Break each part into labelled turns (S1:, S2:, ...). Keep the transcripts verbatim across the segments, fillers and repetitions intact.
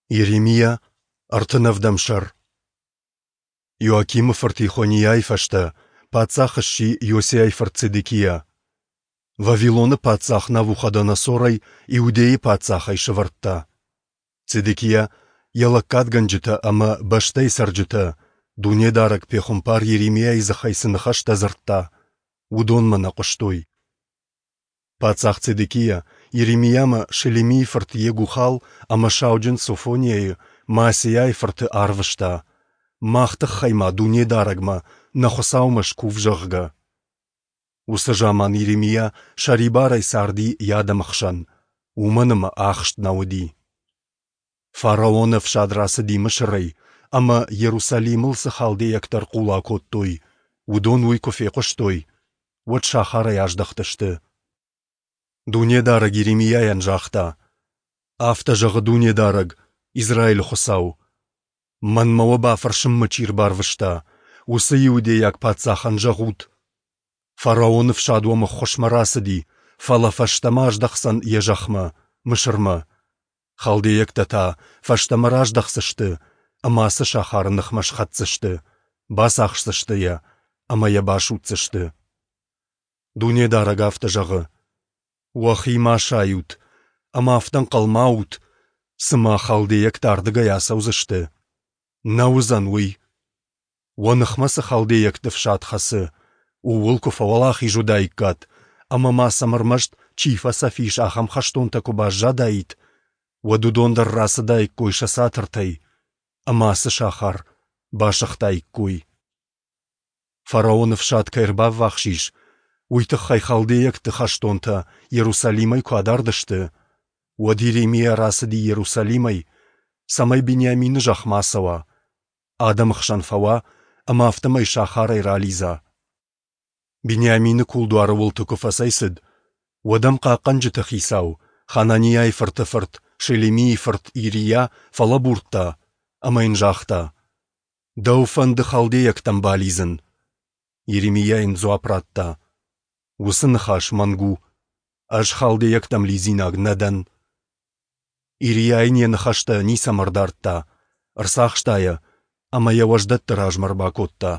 S1: Йеремиа, ӕртын ӕвдӕм сӕр. Иоакимы фырт Йехониайы фӕстӕ паддзах сси Иосиайы фырт Цедекиа. Вавилоны паддзах Навуходоносор ӕй Иудӕйы паддзахӕй сӕвӕрдта. Цедекиа, йӕ лӕггадгӕнджытӕ ӕмӕ бӕстӕйы цӕрджытӕ, Дунедарӕг пехуымпар Йеремиайы дзыхӕй цы ныхӕстӕ дзырдта, уыдонмӕ нӕ хъуыстой. Паддзах Цедекиа Йеремиамӕ Шелемийы фырт Йегухал ӕмӕ сауджын Софониайы, Маасейайы фырты, арвыста, мах тыххӕй-ма Дунедарӕгмӕ, нӕ Хуыцаумӕ, скув, зӕгъгӕ. Уыцы заман Йеремиа сӕрибарӕй царди йӕ адӕмы хсӕн, уымӕн ӕмӕ ахст нӕ уыди. Фараоны ӕфсад рацыди Мысырӕй, ӕмӕ Йерусалимыл цы халдейӕгтӕ ӕрхъула кодтой, уыдон уый куы фехъуыстой, уӕд сахарӕй аздӕхтысты. Дунедарӕг Йеремиайӕн загъта: Афтӕ зӕгъы Дунедарӕг, Израилы Хуыцау: Мӕнмӕ уӕ бафӕрсынмӕ чи рбарвыста, уыцы иудейаг паддзахӕн зӕгъут: Фараоны фсад уӕм ӕххуысмӕ рацыди, фӕлӕ фӕстӕмӕ аздӕхдзӕн йӕ зӕхмӕ, Мысырмӕ. Халдейӕгтӕ та фӕстӕмӕ раздӕхдзысты ӕмӕ ацы сахары ныхмӕ схӕцдзысты, бацахсдзысты йӕ ӕмӕ йӕ басудздзысты. Дунедарӕг афтӕ зӕгъы: Уӕхи ма сайут ӕмӕ афтӕ ӕнхъӕл ма ут, цыма халдейӕгтӕ ардыгӕй ацӕудзысты. Нӕ уыдзӕн уый! Уӕ ныхмӕ цы халдейӕгты фсад хӕцы, ууыл куы фӕуӕлахиз уыдаиккат, ӕмӕ ма сӕм ӕрмӕст, чи фӕцӕф ис, ахӕм хӕстонтӕ куы баззадаид, уӕд уыдон дӕр рацыдаиккой сӕ цатыртӕй ӕмӕ ацы сахар басыгътаиккой. Фараоны фсад кӕй ӕрбаввахс ис, уый тыххӕй халдейӕгты хӕстонтӕ Иерусалимӕй куы адард сты, уӕд Йеремиа рацыди Иерусалимӕй, цӕмӕй Бениамины зӕхмӕ ацӕуа, адӕмы хсӕн фӕуа ӕмӕ афтӕмӕй сахарӕй ралидза. Бениамины кулдуары уылты куы фӕцӕйцыд, уӕд ӕм хъахъхъӕнджыты хицау, Хананиайы фырты фырт, Шелемийы фырт Ирийа фӕлӕбурдта ӕмӕ йын загъта: Дӕу фӕнды халдейӕгтӕм балидзын. Йеремиа йын дзуапп радта: Уыцы ныхас мӕнг у. Ӕз халдейӕгтӕм лидзинаг нӕ дӕн. Ирийа йын йӕ ныхӕстӕ ницӕмӕ ӕрдардта, ӕрцахста йӕ ӕмӕ йӕ уӕздӕтты размӕ ӕрбакодта.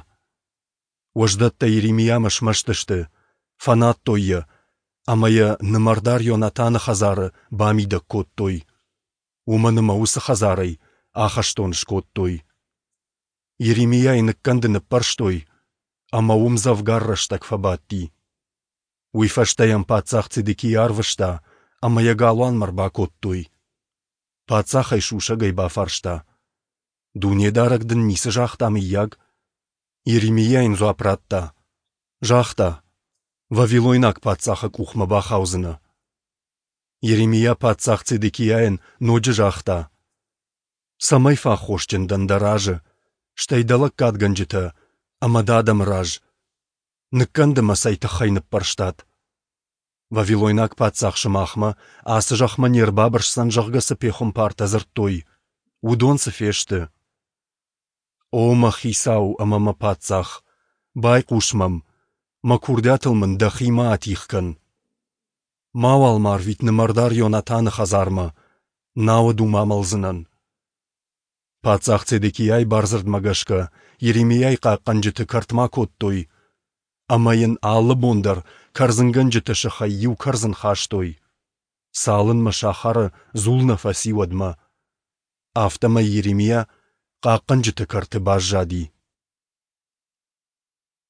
S1: Уӕздӕттӕ Йеремиамӕ смӕсты сты, фӕнадтой йӕ ӕмӕ йӕ нымӕрдар Йонатаны хӕдзары бамидӕг кодтой, уымӕн ӕмӕ уыцы хӕдзарӕй ахӕстон скодтой. Йеремиайы ныккӕнды ныппӕрстой, ӕмӕ уым дзӕвгар рӕстӕг фӕбадти. Уый фӕстӕ йӕм паддзах Цедекиа арвыста, ӕмӕ йӕ галуанмӕ ӕрбакодтой. Паддзах ӕй сусӕгӕй бафарста: Дунедарӕг дын ницы загъта, мыййаг? Йеремиа йын дзуапп радта: Загъта, вавилойнаг паддзахы къухмӕ бахаудзынӕ. Йеремиа паддзах Цедекиайӕн ноджы загъта: Цӕмӕй фӕаххосджын дӕн дӕ разы, стӕй дӕ лӕггадгӕнджытӕ ӕмӕ дӕ адӕмы раз? Ныккӕнды мӕ цӕй тыххӕй ныппӕрстат? Вавилойнаг паддзах сымахмӕ, ацы зӕхмӕ не рбабырсдзӕн, зӕгъгӕ, цы пехуымпартӕ дзырдтой, уыдон цы фесты? О мӕ хицау ӕмӕ мӕ паддзах, байхъус мӕм, мӕ курдиатыл мын дӕхи ма атигъ кӕн. Мауал мӕ арвит нымӕрдар Йонатаны хӕдзармӕ, науӕд уым амӕлдзынӕн. Паддзах Цедекиайы бардзырдмӕ гӕсгӕ Йеремиайы хъахъхъӕнджыты кӕртмӕ акодтой ӕмӕ йын алы бон дӕр кӕрдзынгӕнджыты сыхӕй иу кӕрдзын хастой, цалынмӕ сахары дзул нӕ фӕци, уӕдмӕ. Афтӕмӕй Йеремиа хъахъхъӕнджыты кӕрты баззади.